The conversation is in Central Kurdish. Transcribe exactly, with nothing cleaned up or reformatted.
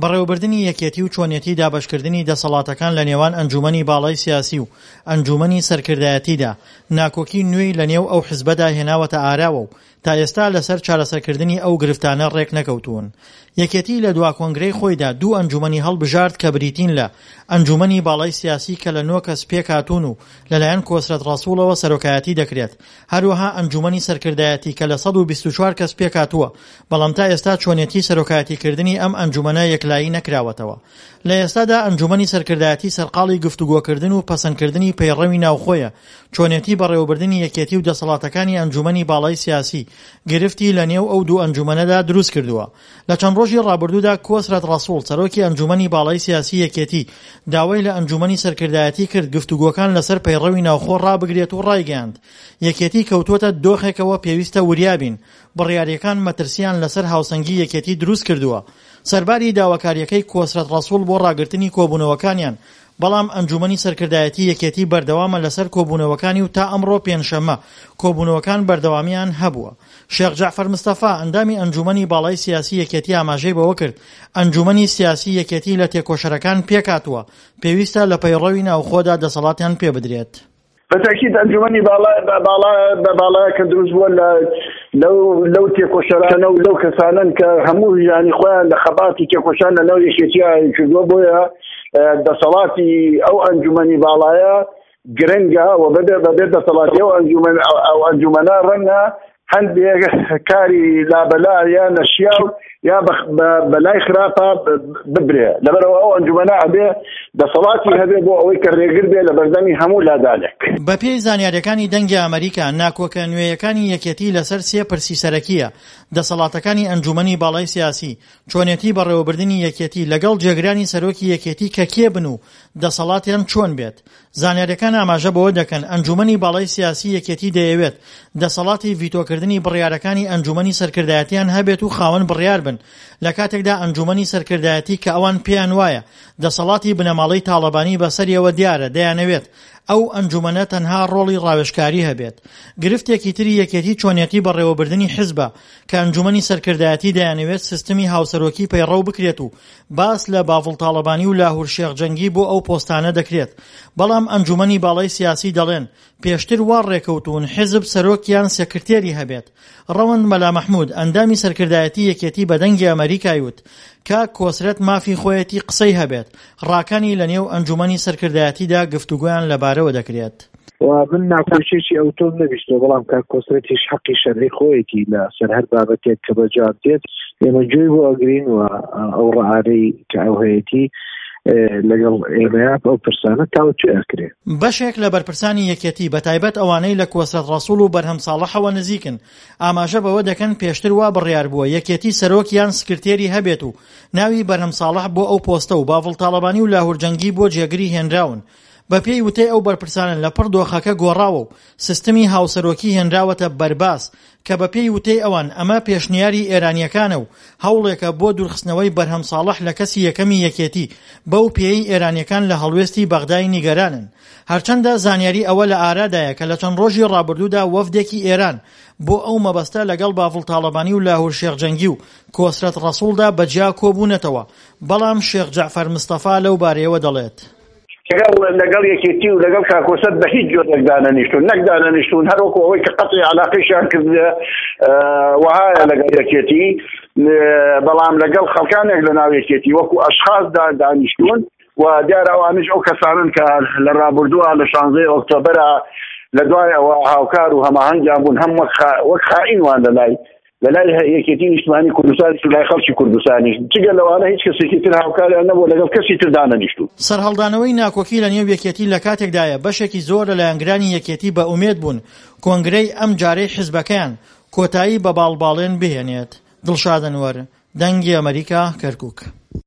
بەڕێوەبردنی یەکێتی و چۆنیەتی دابەشکردنی دەسەڵاتەکان لە نێوان ئەنجوومەنی باڵای سیاسی و ئەنجوومەنی سەرکردایەتیدا ناکۆکی نوێی لە نێو ئەو حزبەدا هێناوەتە ئاراوە و تا ئێستا لەسەر چارەسەرکردنی ئەو گرفتانە ڕێکنەکەوتوون. یەکێتی لە دوا کۆنگرەی خۆیدا دوو ئەنجوومەنی هەڵبژارد کە بریتین لە ئەنجوومەنی باڵای سیاسی کە لە نۆ کەس پێکهاتوون و لەلایەن کۆسرەت ڕەسوڵەوە سەرۆکایەتی دەکرێت، هەروەها ئەنجوومەنی سەرکردایەتی کە لە سەد و بیست و چوار کەس پێکهاتووە، بەڵام تا ئێستا چۆنێتی سەرۆکایەتیکردنی ئەم ئەنجوومەنە یەکلایی نەکراوەتەوە. لە ئێستادا ئەنجوومەنی سەرکردایەتی سەرقاڵی گفتوگۆکردن و پەسەندکردنی پەیڕەوی ناوخۆیە، چۆنێتی بەڕێوەبردنی یەکێتی و دەسەڵاتەکانی ئەنجوومەنی باڵای سیاسی گرفتی لە نێو ئەو دوو ئەنجوومەنەدا دروست کردووە. لە چەند ڕۆژی ڕابردوودا کۆسرەت ڕەسوڵ سەرۆکی ئەنجوومەنی باڵای سیاسی یەکێتی داوای لە ئەنجوومەنی سەرکردایەتی کرد گفتوگۆکان لەسەر پەیڕەوی ناوخۆ ڕابگرێت و ڕایگەیاند یەکێتی کەوتووەتە دۆخێکەوە پێویستە وریابین، بڕیاریەکان مەترسیان لەسەر هاوسەنگی یەکێتی دروست کردووە. سەرباری داواکاریەکەی کۆسرەت ڕەسوڵ بۆ ڕاگرتنی کۆبوونەوەکانیان، بەڵام ئەنجوومەنی سەرکردایەتی یەکێتی بەردەوامە لەسەر کۆبوونەوەکانی و تا ئەمڕۆ پێنجشەممە کۆبوونەوەکان بەردەوامیان هەبووە. شێخ جەعفەر مستەفا، ئەندامی ئەنجوومەنی باڵای سیاسی یەکێتی ئاماژەی بەوە کرد، ئەنجوومەنی سیاسی یەکێتی لە تێکۆشەرەکان پێکهاتووە، پێویستە لە پەیڕەوی ناوخۆدا دەسەڵاتیان پێبدرێت. بەتەکید ئەنجومەنی باڵا باڵا بە باڵایە کە دروست بووە لە لەو لەو تێکۆشەرانە و لەو کەسانن کە هەموو ژیانی خۆیان لە خەبات و تێکۆشان لە ناو یەکێتیە کردووە، بۆیە دەسەڵاتی ئەو ئەنجومەنی باڵایە گرنگە و بەبێ بەبێ دەسەڵاتی ئەو ئەنجومەن ئەو ئەنجومەنە ڕەنگە هەندێک کاری لابەلا یا نەشیاو یا بەلای خراپە ببرێ. لەبەرەوە ئەو ئەنجومەنە ئەبێ دەسەڵاتی هەبێ بۆ ئەوەی کە ڕێگر بێ لە بەردەمی هەموو لادانێک. بەپێی زانیاریەکانی دەنگی ئەمەریکا، ناکۆکە نوێیەکانی یەکێتی لەسەر سێ پرسی سەرەکیە، دەسەڵاتەکانی ئەنجومەنی باڵای سیاسی، چۆنێتی بەڕێوەبردنی یەکێتی لەگەڵ جێگرانی سەرۆکی یەکێتی کە کێ بن و دەسەڵاتیان چۆن بێت. زانیاریەکان ئاماژە بەوە دەکەن ئەنجومەنی باڵای سیاسی یەکێتی دەیەوێت دەسەڵاتی ڤیتۆکردنی بڕیارەکانی ئەنجومەنی سەرکردایەتیان هەبێت و خاوەن بڕیار بن، لە کاتێکدا ئەنجومەنی سەرکردایەتی کە ئەوان پێیان وایە دەسەڵاتی بنەماڵەی تاڵەبانی بەسەریەوە دیارە دەیانەوێت ئەو ئەنجومەنە تەنها ڕۆڵی ڕاوێژکاری هەبێت. گرفتێکی تری یەکێتی چۆنیەتی بەڕێوەبردنی حزبە کە ئەنجومەنی سەرکردایەتی دەیانەوێت سیستمی هاوسەرۆکی پەیڕەو بکرێت و باس لە باڤڵ تاڵەبانی و لاهور شێخ جەنگی بۆ ئەو پۆستانە دەکرێت، بەڵام ئەنجومەنی باڵای سیاسی دەڵێن پێشتر وا ڕێکەوتوون حزب سەرۆک یان سکرتێری هەبێت. ڕەوەند مەلا مەحمود، ئەندامی سەرکردایەتی یەکێتی بە دەنگی ئەمەریکای وت کاک کۆسرەت مافی خۆیەتی قسەی هەبێت، ڕاکانی لە نێو ئەنجومەنی سەرکردایەتیدا گفتوگۆیان لەبارەوە دەکرێت. و من ناکۆکیەکی ئەوتۆم نەبیستەوە، بەڵام کاک کۆسرەتیش حەقی شەرعی خۆیەتی لە سەر هەر بابەتێک کە بە جواب دێت ئێمە گوێی بۆ ئەگرین و ئەو ڕەئارەی کە ئەو هەیەتی لەگەڵ ئێمەیە ئەو پرسانە تاوتوێ ئەکرێ. بەشێک لە بەرپرسانی یەکێتی بەتایبەت ئەوانەی لە کۆسرەت ڕەسوڵ و بەرهەم ساڵحەوە نزیکن ئاماژە بەوە دەکەن پێشتر وا بڕیار بووە یەکێتی سەرۆک یان سکرتێری هەبێت و ناوی بەرهەم ساڵح بۆ ئەو پۆستە و باڤڵ تاڵەبانی و لاهور جەنگی بۆ جێگری هێنراون. بەپێی وتەی ئەو بەرپرسانە لەپڕ دۆخەکە گۆڕاوە و سیستمی هاوسەرۆکی هێنراوەتە بەرباس کە بەپێی وتەی ئەوان ئەمە پێشنیاری ئێرانییەکانە و هەوڵێکە بۆ دوورخستنەوەی بەرهەم ساڵح لە کەسی یەکەمی یەکێتی بەو پێیەی ئێرانییەکان لە هەڵوێستی بەغدای نیگەرانن. هەرچەندە زانیاری ئەوە لە ئارادایە کە لە چەند ڕۆژی ڕابردوودا وەفدێکی ئێران بۆ ئەو مەبەستە لەگەڵ باڤڵ تاڵەبانی و لاهور شێخ جەنگی و کۆسرەت ڕەسوڵدا بەجیا کۆبوونەتەوە، بەڵام شێخ جەعفەر مستەفا لەو بارەیەوە دەڵێت. لەگەڵ لەگەڵ یەکێتی و لەگەڵ کاکۆسەت بە هیچ جۆرێک دانەنیشتون، نەک دانەنیشتون هەر وەکو ئەوەی کە قەتعی علاقەیشیان کردە وەهایە لەگەڵ یەکێتی، بەڵام لەگەڵ خەڵکانێک لە ناو یەکێتی وەکو ئەشخاص دانیشتون و دیارە ئەوانیش ئەو کەسانن کە لە ڕابردووە لە شانزەی ئۆکتۆبەرە لە دوای ئەوە هاوکار و هەماهەنگیان بوون، هەم وەک خائین وان لە لای لە لای یەکێتی نیشتمانی کوردستانیش و لای خەڵکی کوردستانیش، جگە لەوانە هیچ کەسێکی تر هاوکاریان نەبووە، لەگەڵ کەسی تر دانەنیشتوون. سەرهەڵدانەوەی ناکۆکی لە نێو یەکێتی لە کاتێکدایە بەشێکی زۆر لە لایەنگرانی یەکێتی بە ئومێد بوون کۆنگرەی ئەم جارەی حزبەکەیان کۆتایی بە باڵباڵێن بهێنێت. دڵشاد ئەنوەر، دەنگی ئەمەریکا، کەرکوک.